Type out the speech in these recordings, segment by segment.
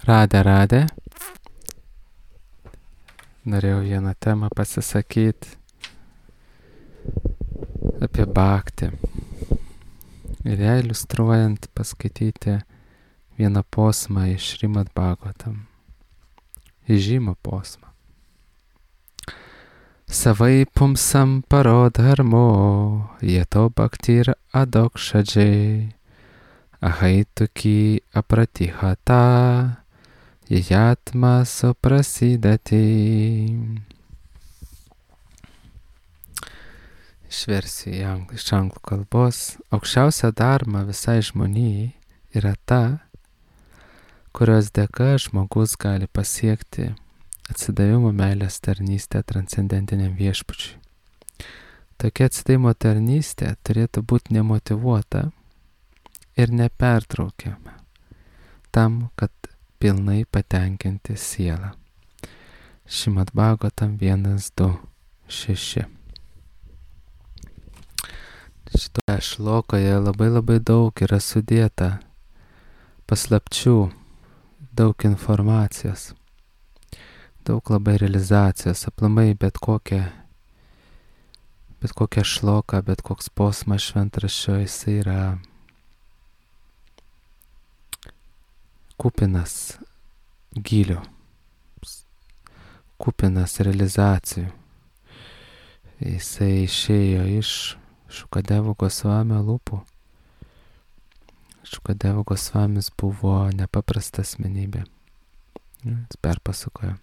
Radė. Norėjau vieną temą pasisakyti apie bhaktį. Ir ją iliustruojant paskaityti vieną posmą iš Šrimad Bhagavatam. Įžymų posmą. Savai pumsam parodharmo, jeto bhaktir adokshadžiai, ahaitukį apratihata, jatma suprasidati. Išversiu iš anglų kalbos. Aukščiausia dharma visai žmonijai yra ta, kurios dėka žmogus gali pasiekti atsidavimo meilės tarnystę transcendentiniam viešpačiui. Tokia atsidavimo tarnystė turėtų būti nemotyvuota ir nepertraukiama tam, kad pilnai patenkinti sielą. Šrimad Bhagavatam 1.2.6. Šitoje šlokoje labai daug yra sudėta paslapčių, daug informacijos, daug labai realizacijos, aplamai bet kokia šloka, bet koks posmas šventraščio, jisai yra kupinas gylio, kupinas realizacijų. Jisai išėjo iš Šukadevo Gosvamio lūpų. Šukadevo Gosvamis buvo nepaprasta asmenybė. Jis perpasakojo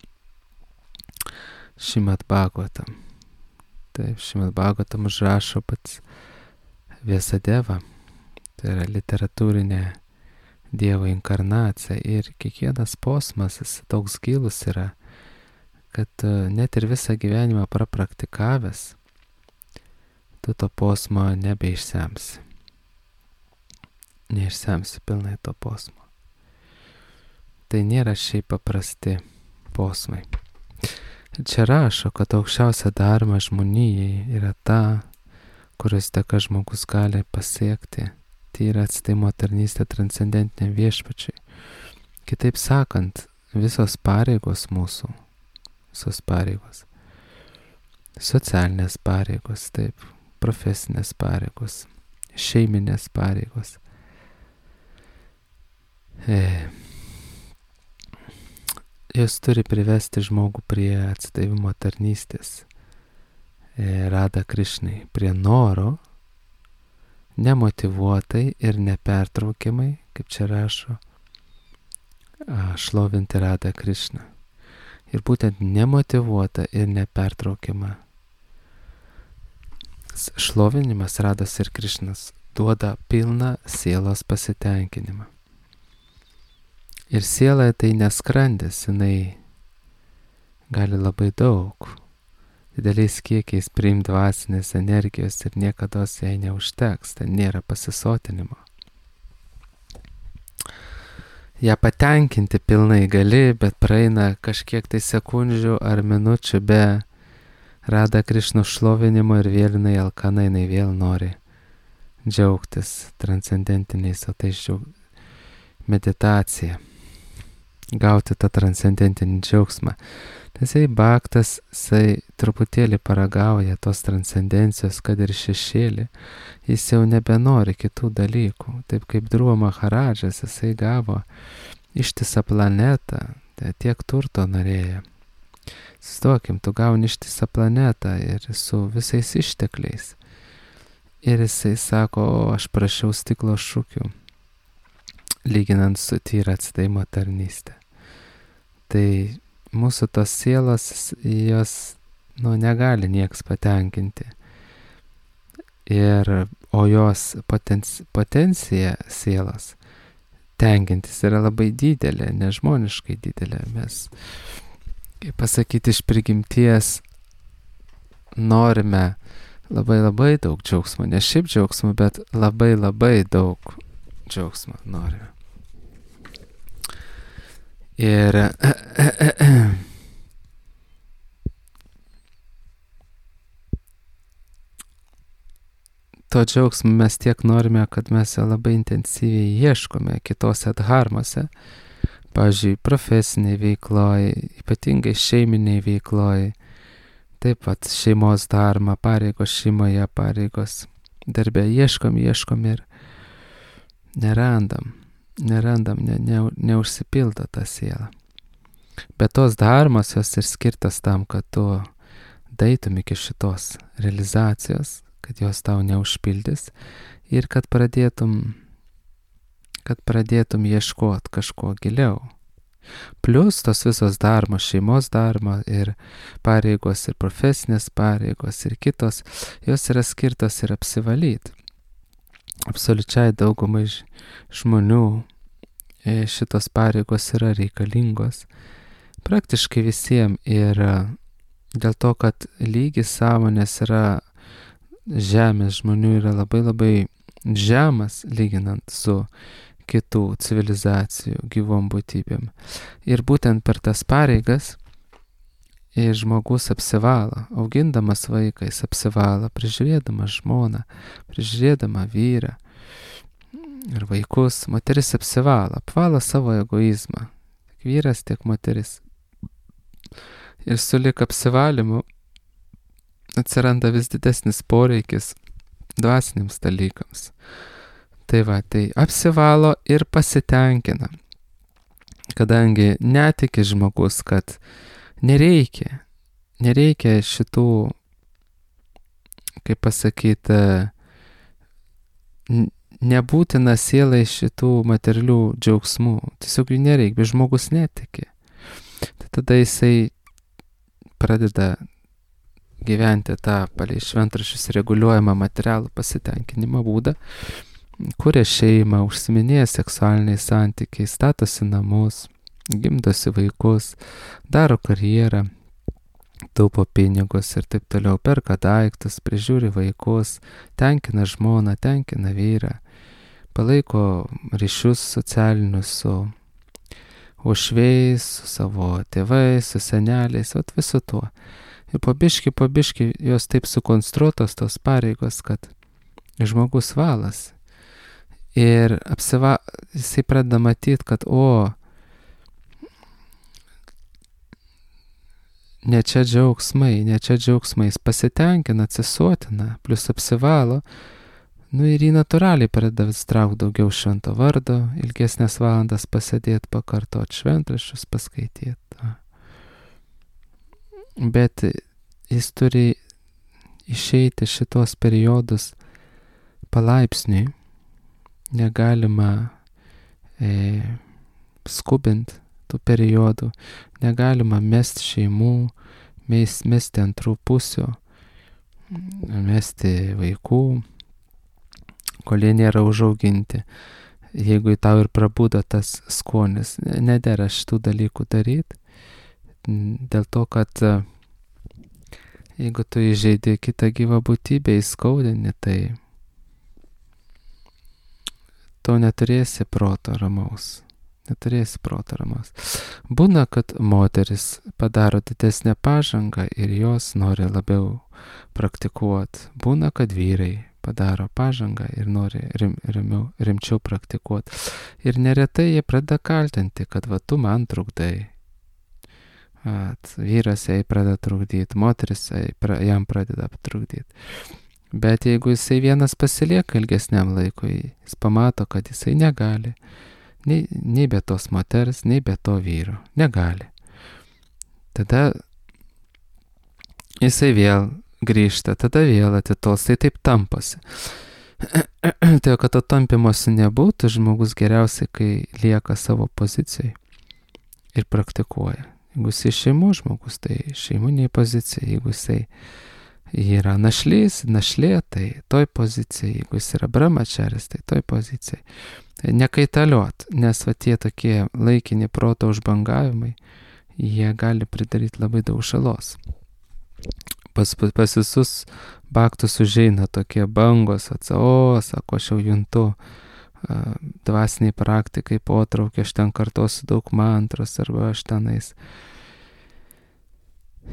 Šrimad Bhagavatam. Taip, Šrimad Bhagavatam užrašo pats Vyasadeva. Tai yra literatūrinė Dievo inkarnacija. Ir kiekvienas posmas jis toks gilus yra, kad net ir visą gyvenimą prapraktikavęs, tu to posmo nebeišsemsi. Neišsemsi pilnai to posmo. Tai nėra šiaip paprasti posmai. Čia rašo, kad aukščiausia dharma žmonijai yra ta, kurios dėka žmogus gali pasiekti. Tai yra atsidavimo tarnystė transcendentiniam viešpačiui. Kitaip sakant, visos pareigos mūsų, visos pareigos, socialinės pareigos, taip, profesinės pareigos, šeiminės pareigos, jos turi privesti žmogų prie atsidavimo tarnystės Radha Krishnai, prie noro, nemotyvuotai ir nepertraukiamai, kaip čia rašo, šlovinti Radha Krishną. Ir būtent nemotyvuota ir nepertraukiama šlovinimas Radhos ir Krishnos duoda pilną sielos pasitenkinimą. Ir siela tai neskrandis, jinai gali labai daug, dideliais kiekiais priimti dvasinės energijos ir niekados jai neužteks, ten nėra pasisotinimo. Ja patenkinti pilnai gali, bet praeina kažkiek tai sekundžių ar minučių be Radha Krishno šlovinimo ir vėl jinai alkana, jinai vėl nori džiaugtis transcendentiniais, o tai meditacija, gauti tą transcendentinį džiaugsmą. Nes bhaktas, jisai truputėlį paragauja tos transcendencijos, kad ir šešėlį, jis jau nebenori kitų dalykų. Taip kaip Dhruva Maharadžas, jisai gavo ištisą planetą, tiek turto norėjo. Stokim, tu gauni ištisą planetą ir su visais ištekliais. Ir jisai sako, aš prašiau stiklo šukių, lyginant su tyra atsidavimo tarnystė. Tai mūsų tos sielos, jos negali nieks patenkinti. O jos potencija sielos tenkintis yra labai didelė, nežmoniškai didelė. Mes, kaip pasakyti, iš prigimties norime labai daug džiaugsmo. Ne šiaip džiaugsmo, bet labai daug džiaugsmo norime. Ir to džiaugsmo mes tiek norime, kad mes labai intensyviai ieškome kitose dharmose, pavyzdžiui, profesiniai veikloj, ypatingai šeiminiai veikloj, taip pat šeimos dharma, pareigos šeimoje, pareigos darbe, ieškom ir nerandam, neužsipildo ta siela. Bet tos dharmos jos ir skirtas tam, kad tu daitum iki šitos realizacijos, kad jos tau neužpildys ir kad pradėtum ieškoti kažko giliau. Plius tos visos dharmos, šeimos dharma ir pareigos ir profesinės pareigos ir kitos, jos yra skirtos ir apsivalyti. Absoliučiai daugumai žmonių šitos pareigos yra reikalingos. Praktiškai visiems ir dėl to, kad lygis sąmonės yra žemės žmonių yra labai labai žemas lyginant su kitų civilizacijų gyvom būtybėm. Ir būtent per tas pareigas žmogus apsivalo, augindamas vaiką jis apsivalo, prižiūrėdamas žmoną, prižiūrėdama vyrą ir vaikus, moteris apvalo savo egoizmą, tiek vyras, tiek moteris. Ir sulik apsivalymu atsiranda vis didesnis poreikis dvasiniams dalykams. Tai apsivalo ir pasitenkina, kadangi netiki žmogus, kad nereikia šitų, kaip pasakyti, nebūtina sielai šitų materialių džiaugsmų. Tiesiog jų nereikia, bet žmogus netiki. Tai tada jisai pradeda gyventi tą palei šventraščius reguliuojamą materialų pasitenkinimo būdą, kuria šeimą, užsiminėja seksualiniais santykiais, statosi namus, gimdosi vaikus, daro karjerą, taupo pinigus ir taip toliau, perka daiktus, prižiūri vaikus, tenkina žmoną, tenkina vyrą, palaiko ryšius socialinius su uošviais, su savo tėvais, su seneliais, visu tuo. Ir po biškį jos taip sukonstruotos tos pareigos, kad žmogus valas. Ir jisai pradeda matyti, kad ne čia džiaugsmai, jis pasitenkina, atsisotina, plus apsivalo, ir jį natūraliai pradeda vis traukti daugiau švento vardo, ilgesnės valandas pasėdėti, pakartoti šventraščius, paskaityti. Bet jis turi išeiti šitos periodus palaipsniui, negalima skubinti tų periodų, negalima mesti šeimų, mesti antrų pusių, mesti vaikų, kol jie nėra užauginti. Jeigu tau ir prabudo tas skonis, nedera šitų dalykų daryti, dėl to, kad jeigu tu įžeidi kitą gyvą būtybę, įskaudini, tai tu neturėsi proto ramaus. Būna, kad moteris padaro didesnę pažangą ir jos nori labiau praktikuoti. Būna, kad vyrai padaro pažangą ir nori rimčiau praktikuoti. Ir neretai jie pradeda kaltinti, kad tu man trukdai. Vyras jai pradeda trukdyti, moteris jam pradeda trukdyti. Bet jeigu jisai vienas pasilieka ilgesniam laikui, jis pamato, kad jisai negali, nei be tos moters, nei be to vyro. Negali. Tada jisai vėl grįžta, tada vėl atitols, tai taip tamposi. Tai, kad to tampimosi nebūtų, žmogus geriausiai, kai lieka savo pozicijai ir praktikuoja. Jeigu jisai šeimos žmogus, tai šeiminiai pozicijai. Jeigu jisai yra našlė, tai toj pozicijai. Jeigu jis yra brahmačaris, tai toj pozicijai. Nekaitaliuot, nes tie tokie laikini proto užbangavimai, jie gali pridaryti labai daug žalos. Pas visus baktus užeina tokie bangos, sako, aš jau juntu dvasiniai praktikai potraukį, aš ten kartosiu daug mantros, arba aš tenais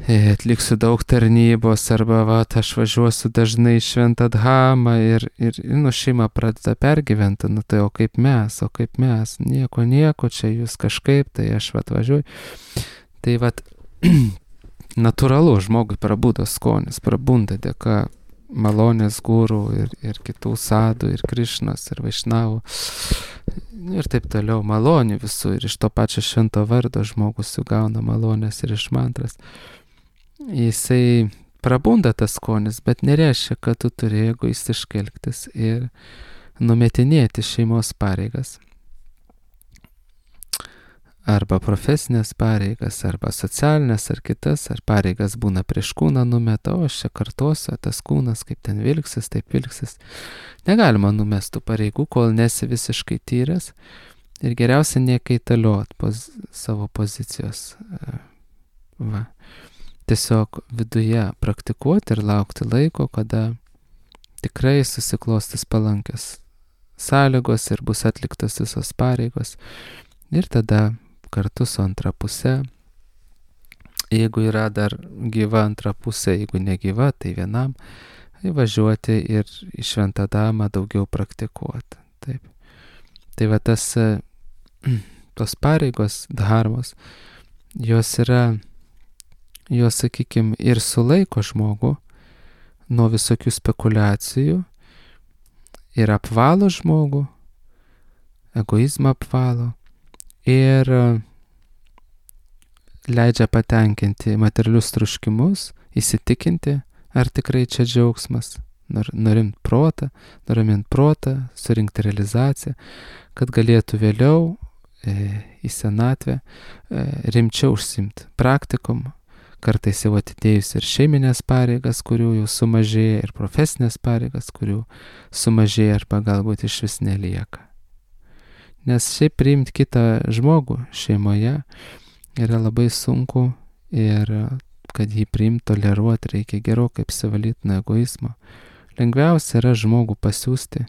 atliksiu daug tarnybos, arba aš važiuosiu dažnai į Šventą Dhamą ir šeima pradeda pergyventi, tai o kaip mes, nieko, čia jūs kažkaip, tai aš važiuoju. Tai natūralu, žmogui prabudo skonis, prabunda dėka malonės gurų ir kitų sadų, ir Krišnos, ir Vaišnavų, ir taip toliau, malonių visų, ir iš to pačio švento vardo žmogus sugauna malonės ir iš mantras. Jisai prabunda tas skonis, bet nereiškia, kad tu turi egoistiškai elgtis ir numetinėti šeimos pareigas. Arba profesinės pareigas, arba socialinės, ar kitas, ar pareigas būna prieš kūną numeta, o aš čia kartosiu, tas kūnas kaip ten vilksis, taip vilksis. Negalima numestų pareigų, kol nesi visiškai tyras ir geriausia nekaitaliot savo pozicijos. Tiesiog viduje praktikuoti ir laukti laiko, kada tikrai susiklostys palankios sąlygos ir bus atliktos visos pareigos. Ir tada kartu su antra pusė, jeigu yra dar gyva antra pusė, jeigu negyva, tai vienam, važiuoti ir į Šventą Dhamą daugiau praktikuoti. Taip. Tai tos pareigos, dharmos, jos sakykime, ir sulaiko žmogų nuo visokių spekulacijų ir apvalo žmogų, egoizmą apvalo, ir leidžia patenkinti materialius troškimus, įsitikinti, ar tikrai čia džiaugsmas, nurimti protą, surinkti realizaciją, kad galėtų vėliau į senatvę rimčiau užsiimti praktikum, kartais jau atidėjus ir šeiminės pareigas, kurių jau sumažėja, ir profesinės pareigas, kurių sumažėja arba galbūt iš vis nelieka. Nes šiaip priimti kitą žmogų šeimoje yra labai sunku ir kad jį priimti, toleruoti, reikia gerokai apsivalyti nuo egoizmo. Lengviausia yra žmogų pasiųsti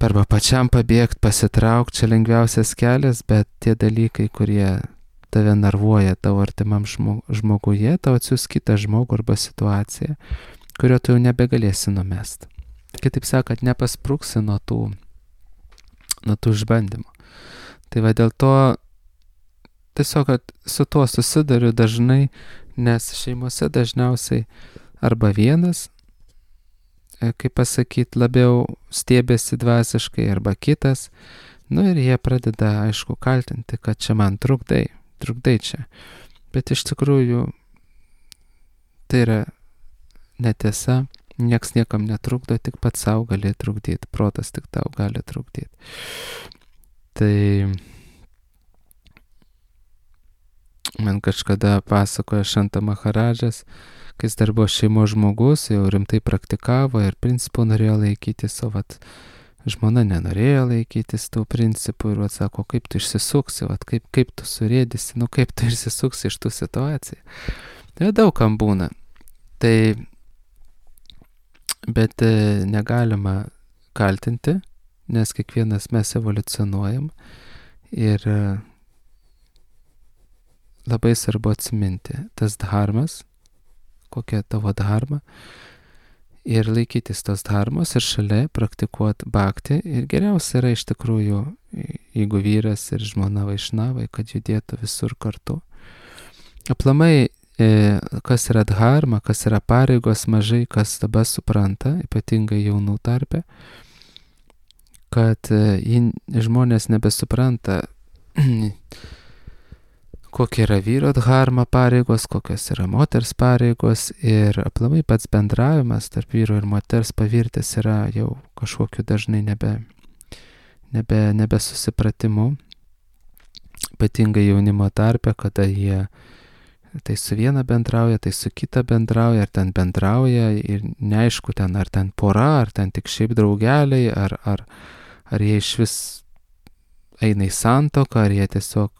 arba pačiam pabėgti, pasitraukti, čia lengviausias kelias, bet tie dalykai, kurie tave nervuoja tavo artimam žmoguje, tau atsiųs kitą žmogų arba situaciją, kurio tu jau nebegalėsi numesti. Kitaip sakant, nepaspruksi nuo tų išbandymų. Tai dėl to tiesiog su tuo susiduriu dažnai, nes šeimose dažniausiai arba vienas, kaip pasakyti, labiau stiebiasi dvasiškai, arba kitas, ir jie pradeda, aišku, kaltinti, kad čia man trukdai čia. Bet iš tikrųjų tai yra netiesa. Nieks niekam netrukdo, tik pats savo gali trukdyti, protas tik tau gali trukdyti. Tai man kažkada pasakoja Šanta Maharadžas, kai jis dar buvo šeimos žmogus, jau rimtai praktikavo ir principų norėjo laikytis, o žmona nenorėjo laikytis tų principų ir sako, kaip tu išsisuksi, kaip tu surėdysi, kaip tu išsisuksi iš tų situacijų. Tai daug kam būna. Bet negalima kaltinti, nes kiekvienas mes evoliucionuojam ir labai svarbu atsiminti tas dharmas, kokia tavo dharma, ir laikytis tos dharmos ir šalia praktikuoti bhakti. Ir geriausia yra iš tikrųjų, jeigu vyras ir žmona vaišnavai, kad judėtų visur kartu. Aplamai, kas yra dharma, kas yra pareigos, mažai kas dabar supranta, ypatingai jaunų tarpe, kad žmonės nebesupranta, kokia yra vyro dharma pareigos, kokios yra moters pareigos, ir aplamai pats bendravimas tarp vyro ir moters pavirtęs yra jau kažkokiu dažnai nebesusipratimu, ypatingai jaunimo tarpe, kada jie tai su viena bendrauja, tai su kita bendrauja, ar ten bendrauja ir neaišku ten, ar ten pora, ar ten tik šiaip draugeliai, ar jie iš vis eina į santuoką, ar jie tiesiog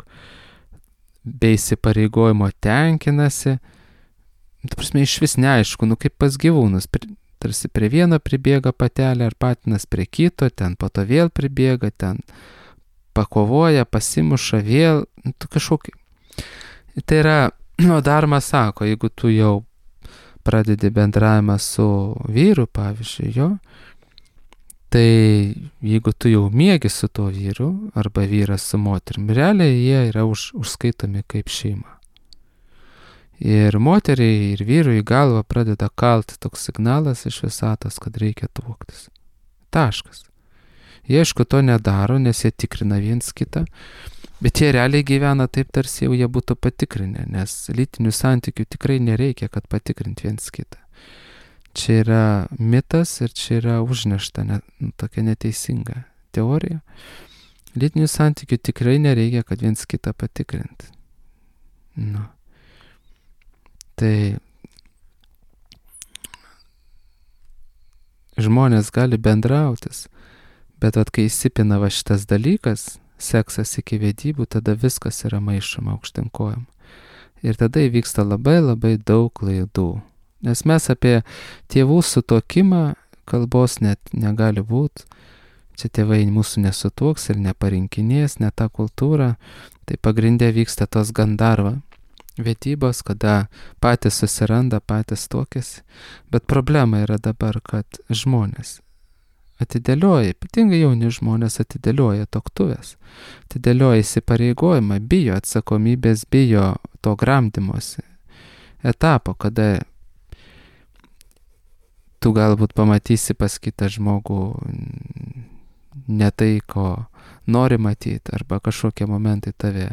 be įsipareigojimo tenkinasi. Ta prasme, iš vis neaišku, kaip pas gyvūnus, tarsi prie vieno pribėga patelė ar patinas prie kito, ten po to vėl pribėga, ten pakovoja, pasimuša vėl, kažkokį. Tai yra O dharma sako, jeigu tu jau pradedi bendravimą su vyru, pavyzdžiui, jo, tai jeigu tu jau miegi su tuo vyru, arba vyras su moterim, realiai jie yra užskaitomi kaip šeima. Ir moteriai, ir vyrui į galvą pradeda kalti toks signalas iš visatos, kad reikia tuoktis. Taškas. Jie aišku to nedaro, nes jie tikrina viens kitą, bet jie realiai gyvena taip, tarsi jau jie būtų patikrinę, nes lytinių santykių tikrai nereikia, kad patikrint viens kitą. Čia yra mitas ir čia yra užnešta tokia neteisinga teorija. Lytinių santykių tikrai nereikia, kad viens kitą patikrint. Nu. Tai žmonės gali bendrautis, bet kai įsipina va šitas dalykas, seksas iki vedybų, tada viskas yra maišoma aukštyn kojom. Ir tada įvyksta labai labai daug klaidų. Nes mes apie tėvų sutuokimą kalbos net negali būti. Čia tėvai mūsų nesutuoks ir neparinkinės, ne tą kultūrą. Tai pagrindė vyksta tos gandarva vedybos, kada patys susiranda, patys tuokėsi. Bet problema yra dabar, kad žmonės atidėlioja, ypatingai jauni žmonės atidėlioja tuoktuvės, atidėlioja įsipareigojimą, bijo atsakomybės, bijo to gramdymosi etapo, kada tu galbūt pamatysi pas kitą žmogų ne tai, ko nori matyti, arba kažkokie momentai tave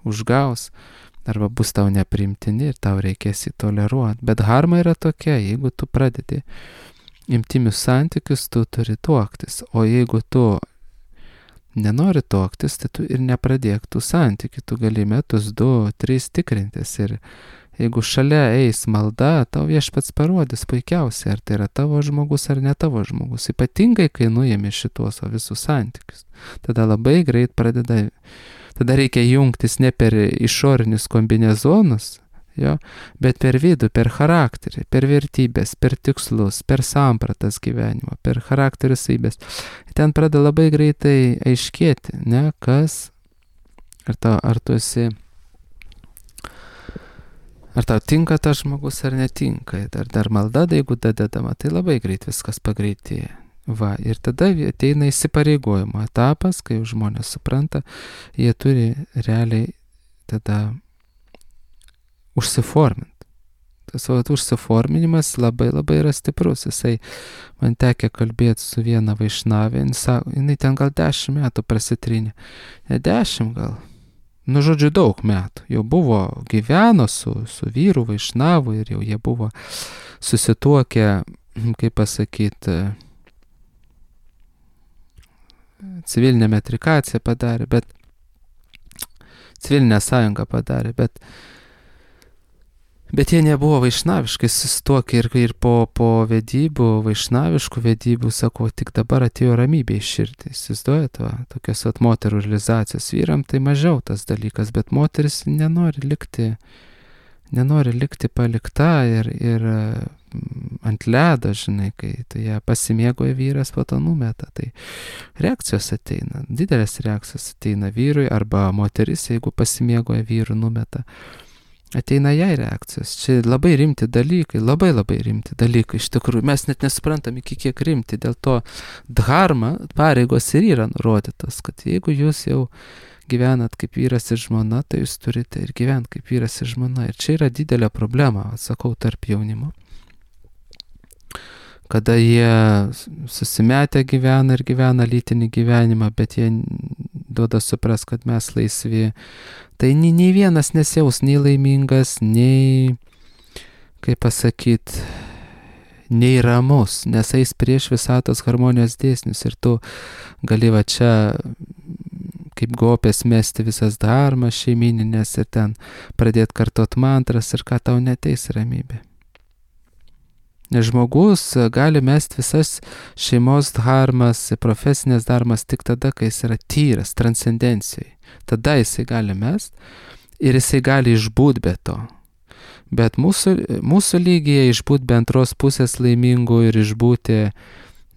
užgaus, arba bus tau nepriimtini ir tau reikės įtoleruoti. Bet dharma yra tokia, jeigu tu pradedi intimius santykius, tu turi tuoktis. O jeigu tu nenori tuoktis, tai tu ir nepradėk tų santykių. Tu gali metus, 2, 3 tikrintis. Ir jeigu šalia eis malda, tau viešpats parodys puikiausiai, ar tai yra tavo žmogus ar ne tavo žmogus. Ypatingai, kai nuėmė šitos visus santykius. Tada labai greit tada reikia jungtis ne per išorinius kombinezonus, jo, bet per vidų, per charakterį, per vertybės, per tikslus, per sampratas gyvenimo, per charakterio savybės. Ten pradeda labai greitai aiškėti, ne, kas, ar tu esi, ar tau tinka tas žmogus ar netinka, dar malda, jeigu dadedama, tai labai greit viskas pagreitėja. Va, ir tada ateina įsipareigojimo etapas, kai žmonės supranta, jie turi realiai tada užsiforminti. Tas užsiforminimas labai labai yra stiprus. Jisai man tekė kalbėti su viena vaišnavė, jinai ten gal 10 metų prasitrynė. Ne 10 gal. Nu, žodžiu, daug metų. Jau buvo gyveno su vyru vaišnavu ir jau jie buvo susituokę, kaip pasakyti, civilinę metrikaciją padarė, bet civilinę sąjungą padarė, bet jie nebuvo vaišnaviškai susituokę ir po vedybų, vaišnaviškų vedybų, sako, tik dabar atėjo ramybė į širdį. Įsivaizduojat, tokios moterų realizacijos. Vyram tai mažiau tas dalykas, bet moteris nenori likti palikta ir ant ledo, žinai, kai tai ją pasimėgoja vyras, po to numeta. Tai reakcijos ateina, didelės reakcijos ateina vyrui, arba moteris, jeigu pasimėgoja vyrų, numeta. Ateina jai reakcijos. Čia labai rimti dalykai, labai labai rimti dalykai. Iš tikrųjų, mes net nesuprantam iki kiek rimti. Dėl to dharma pareigos ir yra nurodytos, kad jeigu jūs jau gyvenat kaip vyras ir žmona, tai jūs turite ir gyventi kaip vyras ir žmona. Ir čia yra didelė problema, sakau, tarp jaunimo. Kada jie susimetę gyvena ir gyvena lytinį gyvenimą, bet jie duoda supras, kad mes laisvi, tai nei vienas nesijaus nei laimingas, nei, kaip pasakyti, nei ramus, nes eis prieš visatos harmonijos dėsnius ir tu gali va čia kaip gopės mesti visas dharmas šeimininės ir ten pradėti kartot mantras ir ką tau neteis ramybė. Nes žmogus gali mest visas šeimos dharmas, profesinės dharmas tik tada, kai jis yra tyras, transcendencijai. Tada jisai gali mest ir jisai gali išbūt be to. Bet mūsų lygyje išbūt be antros pusės laimingų ir išbūti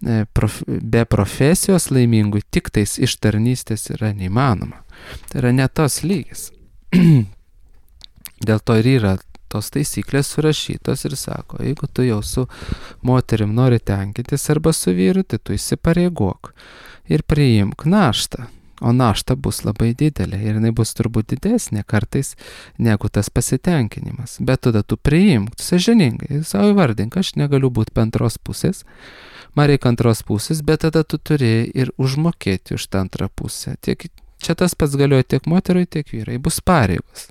be profesijos laimingų tik tais iš tarnystės yra neįmanoma. Tai yra ne tos lygis. Dėl to ir yra tos taisyklės surašytos ir sako, jeigu tu jau su moterim nori tenkintis arba su vyru, tai tu įsipareigok ir priimk naštą. O našta bus labai didelė ir jinai bus turbūt didesnė kartais negu tas pasitenkinimas. Bet tada tu priimk, sąžiningai, savo įvardink, aš negaliu būti antros pusės, man reikia antros pusės, bet tada tu turi ir užmokėti už tą antrą pusę. Čia tas pats galioja tiek moterui, tiek vyrai. Bus pareigos.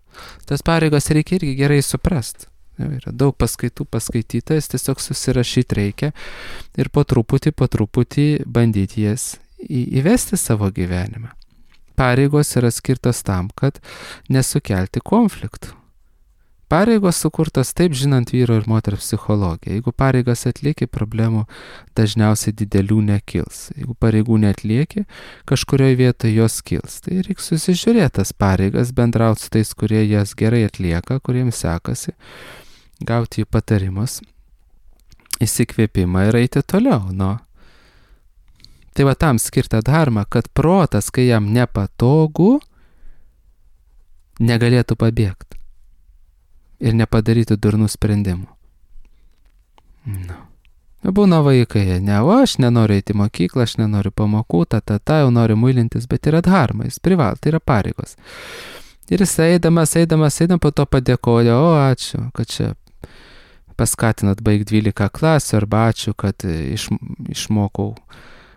Tas pareigas reikia irgi gerai suprasti. Yra daug paskaitų paskaityta, jas tiesiog susirašyti reikia ir po truputį bandyti jas įvesti savo gyvenimą. Pareigos yra skirtos tam, kad nesukelti konfliktų. Pareigos sukurtos taip žinant vyro ir moters psichologiją. Jeigu pareigas atlieki, problemų dažniausiai didelių nekils. Jeigu pareigų neatlieki, kažkurioje vietoje jos kils. Tai reikia susižiūrėti tas pareigas, bendrauti su tais, kurie jas gerai atlieka, kuriems sekasi, gauti jų patarimus, įsikvėpimą ir eiti toliau. Tai va tam skirta dharma, kad protas, kai jam nepatogu, negalėtų pabėgti ir nepadarytų durnų sprendimų. Būna vaikai, aš nenoriu eiti į mokyklą, aš nenoriu pamokų, jau noriu muilintis, bet yra dharma, jis privalo, tai yra pareigos. Ir jis eidamas, po to padėkoja, ačiū, kad čia paskatinat baigti 12 klasių, arba ačiū, kad išmokau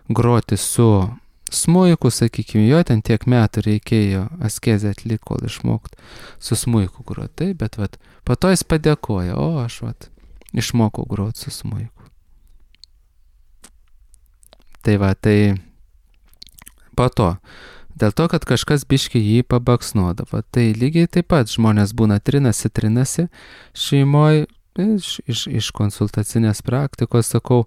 groti su smuiku, sakykime, jo ten tiek metų reikėjo askezę atlikti, kol išmokti su smuiku groti, bet po to jis padėkoja, aš išmokau groti su smuiku. Tai po to, dėl to, kad kažkas biškį jį pabaksnuodavo, tai lygiai taip pat žmonės būna trinasi šeimoje, iš konsultacinės praktikos, sakau,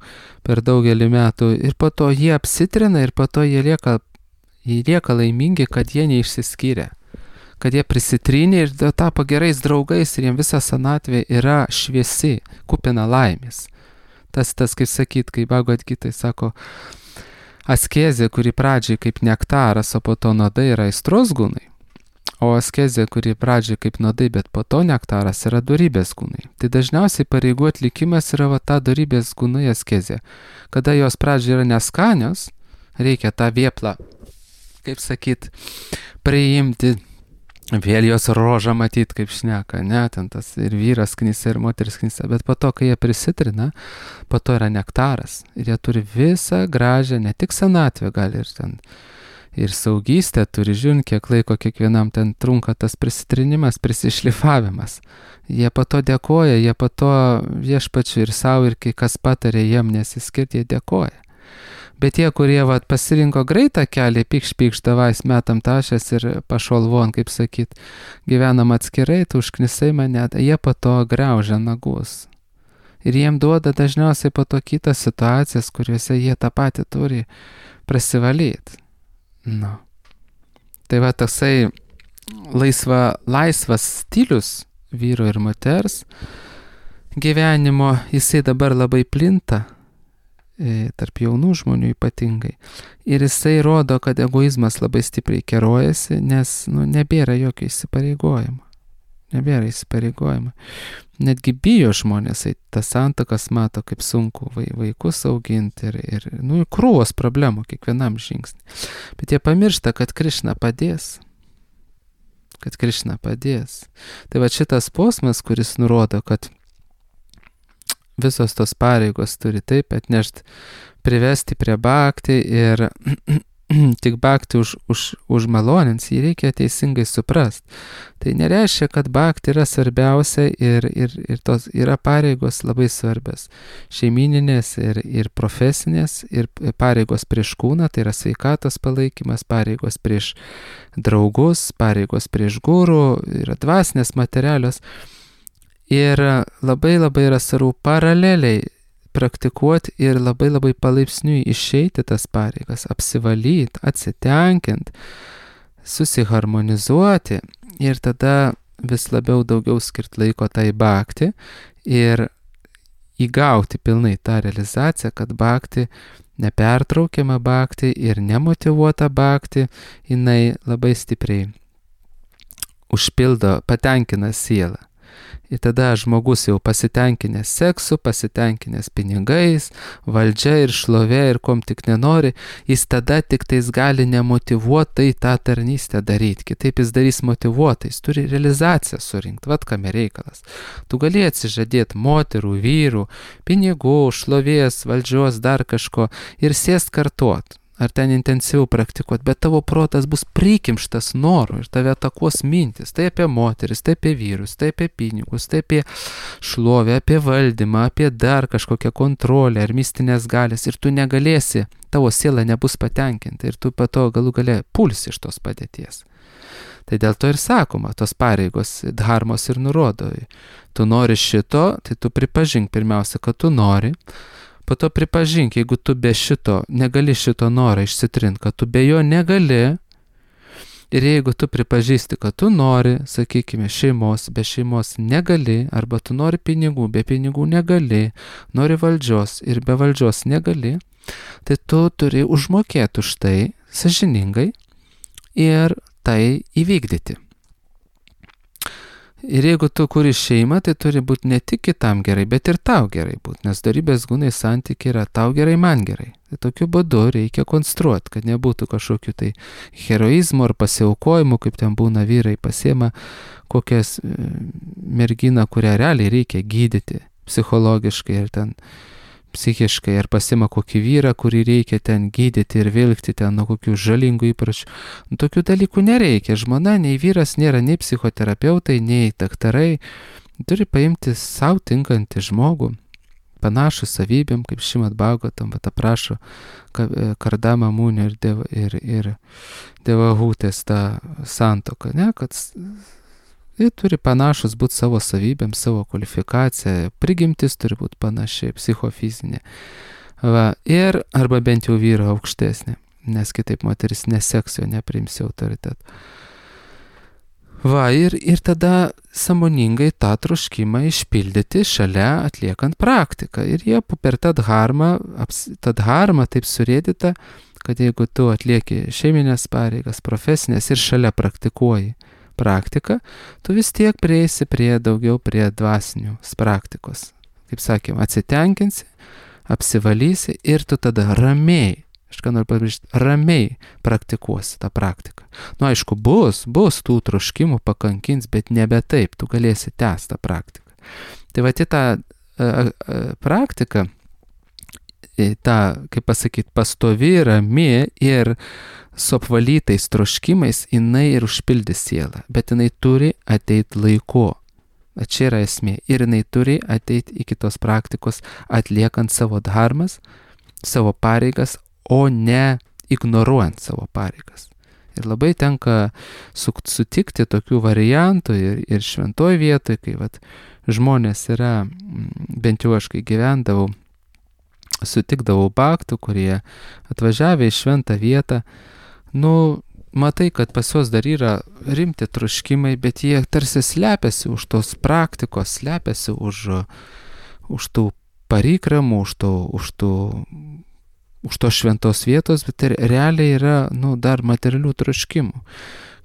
per daugelį metų ir po to jie apsitrina ir po to jie lieka laimingi, kad jie neišsiskyrė, kad jie prisitrynė ir tapo gerais draugais ir jiems visa senatvė yra šviesi, kupina laimės. Tas kaip sakyt, kai Bhagavad Gitai sako, askezė, kuri pradžiai kaip nektaras, o po to nuodai yra aistros gūnai. O askezė, kuri pradžiai kaip nuodai, bet po to nektaras yra dorybės gūnai. Tai dažniausiai pareigų atlikimas yra ta dorybės gūnai askezė. Kada jos pradžiai yra neskanios, reikia tą vėplą, kaip sakyt, priimti, vėl jos rožą matyti, kaip šneka, ten tas ir vyras knisa, ir moteris knisa. Bet po to, kai jie prisitrina, po to yra nektaras. Ir jie turi visą gražią, ne tik senatvę, gali ir ten ir saugystę turi, žiūrint, kiek laiko kiekvienam ten trunka tas prisitrinimas, prisišlifavimas. Jie po to dėkoja, jie po to viešpačiui ir savo, ir kai kas patarė jiem nesiskirti, jie dėkoja. Bet tie, kurie pasirinko greitą kelią, pykš davais metam tašės ir pašolvon, kaip sakyt, gyvenam atskirai, tu užknisai mane, jie po to griaužia nagus. Ir jiem duoda dažniausiai po to kitas situacijas, kuriuose jie tą patį turi prasivalyti. Tai toksai laisvas stilius vyro ir moters gyvenimo, jisai dabar labai plinta, tarp jaunų žmonių ypatingai. Ir jisai rodo, kad egoizmas labai stipriai kerojasi, nes nebėra jokio įsipareigojimo. Netgi bijo žmonės, tas santuokas mato, kaip sunku vaikus auginti ir krūvos problemų kiekvienam žingsnį. Bet jie pamiršta, kad Krišna padės. Tai šitas posmas, kuris nurodo, kad visos tos pareigos turi taip atnešti, privesti prie bhakti ir tik bhakti užmalonins, jį reikia teisingai suprasti. Tai nereiškia, kad bhakti yra svarbiausia ir tos yra pareigos labai svarbios. Šeimininės ir profesinės, ir pareigos prieš kūną, tai yra sveikatos palaikymas, pareigos prieš draugus, pareigos prieš gurų, yra dvasinės materialios. Ir labai yra svarbu paraleliai praktikuoti ir labai palaipsniui išeiti tas pareigas, apsivalyti, atsitenkint, susiharmonizuoti ir tada vis labiau daugiau skirti laiko tai bhakti ir įgauti pilnai tą realizaciją, kad bhakti, nepertraukiama bhakti ir nemotyvuota bhakti, jinai labai stipriai užpildo, patenkina sielą. Ir tada žmogus jau pasitenkinęs seksu, pasitenkinęs pinigais, valdžia ir šlovė ir kom tik nenori, jis tada tik tais gali nemotyvuotai tą tarnystę daryti. Kitaip jis darys motyvuotai, jis turi realizaciją surinkti, vat kame reikalas. Tu gali atsižadėti moterų, vyrų, pinigų, šlovės, valdžios, dar kažko ir sėst kartuot. Ar ten intensyviau praktikuot, bet tavo protas bus prikimštas noru ir tave atakuos mintis. Tai apie moteris, tai apie vyrus, tai apie pinigus, tai apie šlovę, apie valdymą, apie dar kažkokią kontrolę ar mistinės galės. Ir tu negalėsi, tavo siela nebus patenkinta ir tu po to galų gale pulsi iš tos padėties. Tai dėl to ir sakoma, tos pareigos dharmos ir nurodo. Tu nori šito, tai tu pripažink pirmiausia, kad tu nori. Po to pripažink, jeigu tu be šito, negali šito norą išsitrint, kad tu be jo negali. Ir jeigu tu pripažįsti, kad tu nori, sakykime, šeimos, be šeimos negali, arba tu nori pinigų, be pinigų negali, nori valdžios ir be valdžios negali, tai tu turi užmokėti už tai sąžiningai ir tai įvykdyti. Ir jeigu tu kuri šeimą, tai turi būti ne tik kitam gerai, bet ir tau gerai būti, nes dorybės gūnai santykiai yra tau gerai, man gerai. Tai tokiu būdu reikia konstruoti, kad nebūtų kažkokių tai heroizmų ar pasiaukojimų, kaip ten būna vyrai pasiema kokias merginą, kurią realiai reikia gydyti psichologiškai ir ten psichiškai, ar pasima kokį vyrą, kurį reikia ten gydyti ir vilkti ten nuo kokių žalingų įpročių. Tokių dalykų nereikia. Žmona, nei vyras nėra nei psichoterapeutai, nei daktarai. Turi paimti savo tinkantį žmogų, panašų savybėm, kaip Šrimad Bhagavatam, bet aprašo Kardama Munio ir Devahutės tą santuoką, ne, kad jie turi panašus būti savo savybėm, savo kvalifikaciją, prigimtis turi būti panašiai, psichofizinė. Va, ir arba bent jau vyro aukštesnė, nes kitaip moteris neseks jo, nepriims autoritetą. Va, ir tada sąmoningai tą troškimą išpildyti šalia atliekant praktiką. Ir jie per tą dharmą taip surėdyta, kad jeigu tu atlieki šeiminės pareigas, profesinės ir šalia praktikuoji praktiką, tu vis tiek prieisi prie dvasinių praktikos. Kaip sakėm, atsitenkinsi, apsivalysi ir tu tada ramiai, aš ką noriu pabrėžti, ramiai praktikuosi tą praktiką. Nu, aišku, bus tų troškimų pakankins, bet nebe taip, tu galėsi tęsti tą praktiką. Tai va, tą praktiką, tą, kaip pasakyti, pastovi, rami ir su apvalytais troškimais, jinai ir užpildys sielą, bet jinai turi ateiti laiku. Čia yra esmė. Ir jinai turi ateiti iki tos praktikos atliekant savo dharmas, savo pareigas, o ne ignoruojant savo pareigas. Ir labai tenka sutikti tokių variantų ir šventoj vietoj, kai vat, žmonės yra, bent jau aš kai gyvendavau, sutikdavau bhaktų, kurie atvažiavę į šventą vietą, nu, matai, kad pas juos dar yra rimti troškimai, bet jie tarsi slepiasi už tos praktikos, slepiasi už tų parikramų, už tos šventos vietos, bet realiai yra, nu, dar materialių troškimų.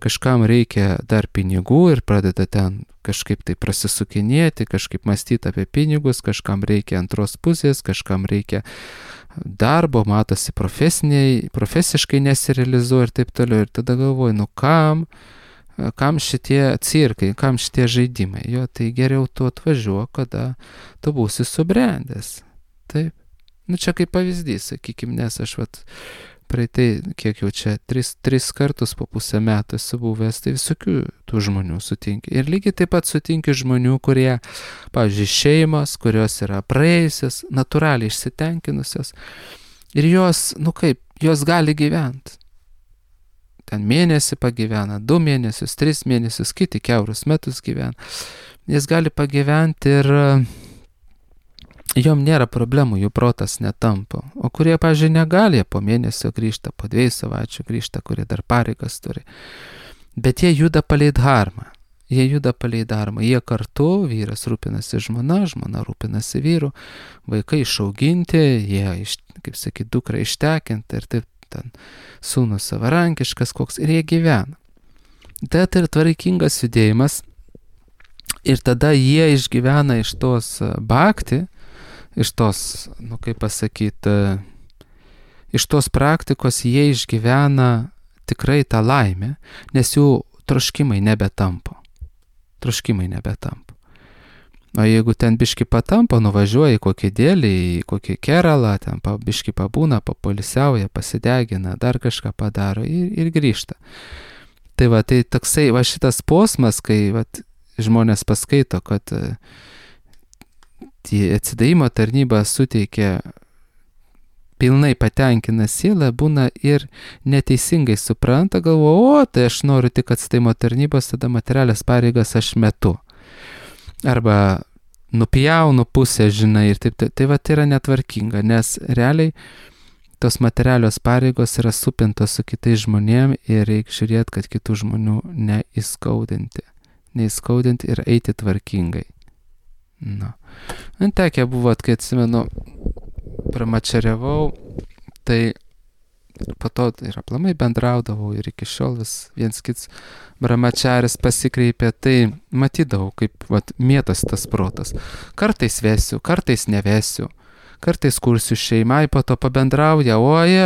Kažkam reikia dar pinigų ir pradeda ten kažkaip tai prasisukinėti, kažkaip mąstyti apie pinigus, kažkam reikia antros pusės, kažkam reikia darbo, matosi profesiškai nesirealizuoja ir taip toliau. Ir tada galvoju, nu kam šitie cirkai, kam šitie žaidimai? Jo, tai geriau tu atvažiuok, kada tu būsi subrendęs. Taip. Nu čia kaip pavyzdys, sakykim, nes aš praeitai, kiek jau čia, tris kartus po pusę metų esu buvęs, tai visokių tų žmonių sutinki. Ir lygiai taip pat sutinki žmonių, kurie, pavyzdžiui, šeimos, kurios yra praėjusios, natūraliai išsitenkinusios. Ir jos, nu kaip, jos gali gyventi. Ten mėnesį pagyvena, 2 mėnesius, 3 mėnesius, kiti kiaurus metus gyvena. Jis gali pagyventi ir jom nėra problemų, jų protas netampa. O kurie, pavyzdžiui, negali, po mėnesio grįžta, po 2 savaičių grįžta, kurie dar pareigas turi. Bet jie juda palei dharmą. Jie kartu, vyras rūpinasi žmona rūpinasi vyru, vaikai išauginti, jie, kaip sakyti, dukra ištekinti ir taip ten sūnus savarankiškas koks ir jie gyvena. Tai ir tvarkingas judėjimas. Ir tada jie išgyvena iš tos bhakti, iš tos, kaip pasakyti, iš tos praktikos jie išgyvena tikrai tą laimę, nes jų troškimai nebetampo. O jeigu ten biški patampo, nuvažiuoja į kokį dėlį, į kokį keralą, ten biški pabūna, papoilsiauja, pasidegina, dar kažką padaro ir grįžta. Tai tai toksai šitas posmas, kai žmonės paskaito, kad atsidavimo tarnyba suteikia, pilnai patenkina sielą, būna ir neteisingai supranta, galvoja, tai aš noriu tik atsidavimo tarnybos, tada materialias pareigas aš metu. Arba nupjaunu pusę, žinai, ir taip. Tai yra netvarkinga, nes realiai tos materialios pareigos yra supintos su kitais žmonėm ir reikia žiūrėti, kad kitų žmonių neįskaudinti ir eiti tvarkingai. Tekė buvo, kai atsimenu, pramačiariavau, tai po to ir aplamai bendraudavau ir iki šiol vis viens kits brahmačaris pasikreipė, tai matydavau, kaip mėtas tas protas. Kartais vesiu, kartais nevesiu, kartais kursiu šeimai, po to pabendrauja,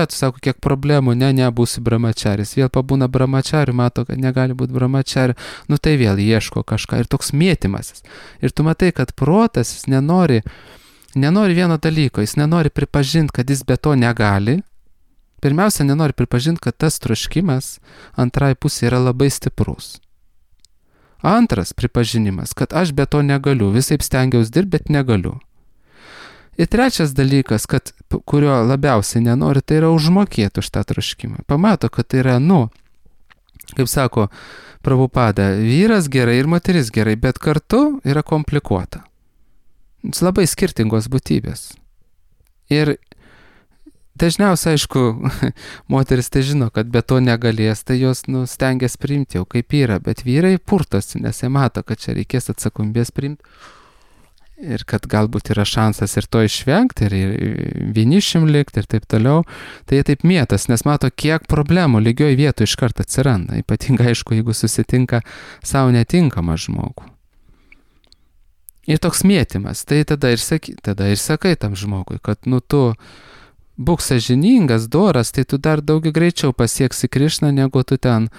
tu sako, kiek problemų, nebūsiu brahmačaris, vėl pabūna brahmačariu, mato, kad negali būti brahmačariu, tai vėl ieško kažką ir toks mėtymasis. Ir tu matai, kad protas jis nenori vieno dalyko, jis nenori pripažinti, kad jis be to negali. Pirmiausia, nenori pripažinti, kad tas troškimas antrai pusė yra labai stiprus. Antras pripažinimas, kad aš be to negaliu, visaip stengiausi dirbti, bet negaliu. Ir trečias dalykas, kurio labiausiai nenori, tai yra užmokėti už tą troškimą. Pamato, kad tai yra, kaip sako Prabhupada, vyras gerai ir moteris gerai, bet kartu yra komplikuota. Labai skirtingos būtybės. Ir dažniausiai, aišku, moteris tai žino, kad be to negalės, tai jos stengiasi priimti jau kaip yra, bet vyrai purtosi, nes jie mato, kad čia reikės atsakomybės priimti ir kad galbūt yra šansas ir to išvengti, ir vienišim likti ir taip toliau. Tai jie taip mėtas, nes mato, kiek problemų lygioj vietoj iš karto atsiranda, ypatingai, aišku, jeigu susitinka savo netinkamą žmogų. Ir toks mėtymas, tai tada ir sakai tam žmogui, kad tu būk sąžiningas, doras, tai tu dar daug greičiau pasieksi Krišną, negu tu ten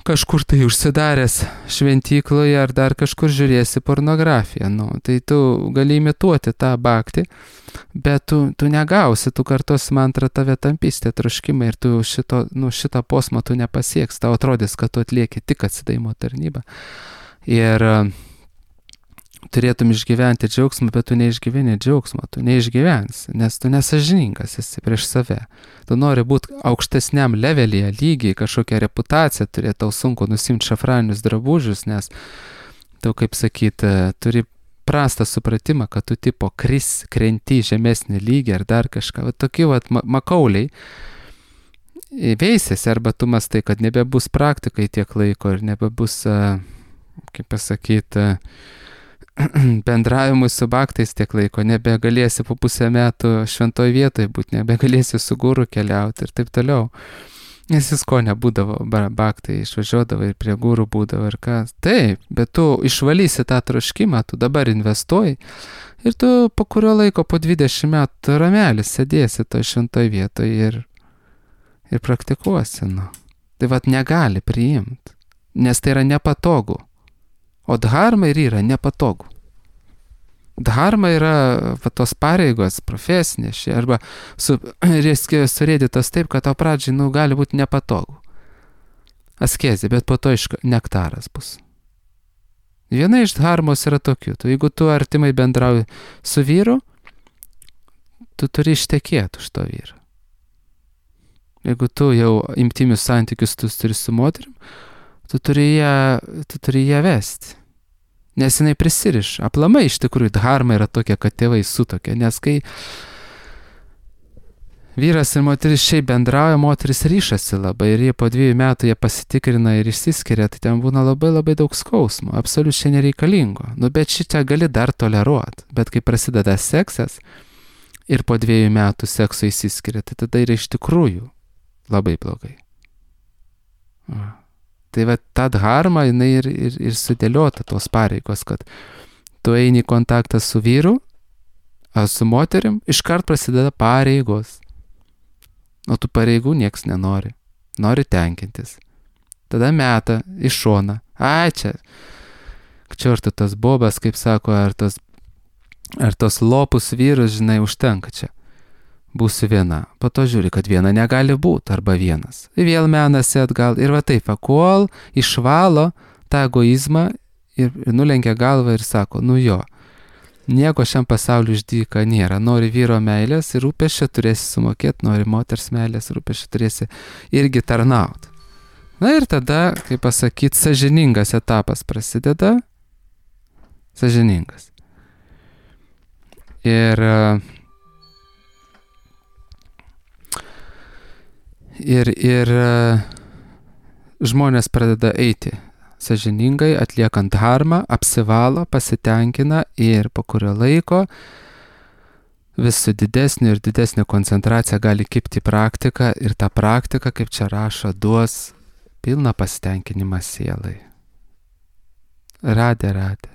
kažkur tai užsidaręs šventykloje ar dar kažkur žiūrėsi pornografiją. Tai tu gali imituoti tą bhaktį, bet tu negausi, tu kartos mantrą tave tampys tie troškimai ir tu šitą posmą tu nepasieks, tau atrodys, kad tu atlieki tik atsidavimo tarnybą. Ir turėtum išgyventi džiaugsmą, bet tu neišgyveni džiaugsmą, tu neišgyvensi, nes tu nesąžiningas esi prieš save. Tu nori būti aukštesniam levelyje, lygiai, kažkokią reputaciją turėti, tau sunku nusimti šafraninius drabužius, nes tu, kaip sakyti, turi prastą supratimą, kad tu tipo krenti žemesnį lygį ar dar kažką. Tokie makauliai veisėsi, arba tu mastai, kad nebebus praktikai tiek laiko ir nebebus, kaip pasakyti, bendravimui su bhaktais tiek laiko, nebegalėsi po pusę metų šventoj vietoje būti, nebegalėsi su guru keliauti ir taip toliau. Nes jis ko nebūdavo, bhaktai išvažiuodavo ir prie guru būdavo ir ką. Taip, bet tu išvalysi tą troškimą, tu dabar investuoji ir tu po kurio laiko, po 20 metų ramelis sėdėsi toj šventoj vietoje ir praktikuosi. Tai negali priimti, nes tai yra nepatogu. O dharma ir yra nepatogu. Dharma yra tos pareigos profesinės, arba surėdytos taip, kad tau pradžiai gali būti nepatogu. Askezė, bet po to nektaras bus. Viena iš dharmos yra tokių. Jeigu tu artimai bendrauji su vyru, tu turi ištekėti už to vyrą. Jeigu tu jau intimius santykius tu turi su moterim, tu turi ją vesti. Nes jinai prisiriša. Aplamai iš tikrųjų dharma yra tokia, kad tėvai sutokia. Nes kai vyras ir moteris šiaip bendrauja, moteris ryšasi labai ir jie po 2 metų jie pasitikrina ir išsiskiria, tai ten būna labai labai daug skausmo, absoliučiai nereikalingo. Bet šitą gali dar toleruoti. Bet kai prasideda seksas ir po 2 metų sekso išsiskiria, tai tada yra iš tikrųjų labai blogai. Tai va ta dharma, jinai ir sudėliota tos pareigos, kad tu eini į kontaktą su vyru, ar su moterim, iškart prasideda pareigos. O tų pareigų nieks nenori. Nori tenkintis. Tada meta į šoną. Ai, čia tas bobas, kaip sako, ar tos lopus vyrus, žinai, užtenka čia. Būsiu viena. Po to žiūri, kad viena negali būti, arba vienas. Ir vėl menasi atgal. Ir va taip, kol išvalo tą egoizmą ir nulenkia galvą ir sako, nu jo, nieko šiam pasauliu išdyka nėra. Nori vyro meilės ir rūpesčio turėsi sumokėti, nori moters meilės ir rūpesčio turėsi irgi tarnauti. Na ir tada, kaip pasakyti, sąžiningas etapas prasideda. Sąžiningas. Ir žmonės pradeda eiti sąžiningai, atliekant dharmą, apsivalo, pasitenkina ir po kurio laiko vis su didesnė ir didesnė koncentracija gali kibti praktika ir ta praktika, kaip čia rašo, duos pilną pasitenkinimą sielai. Radė.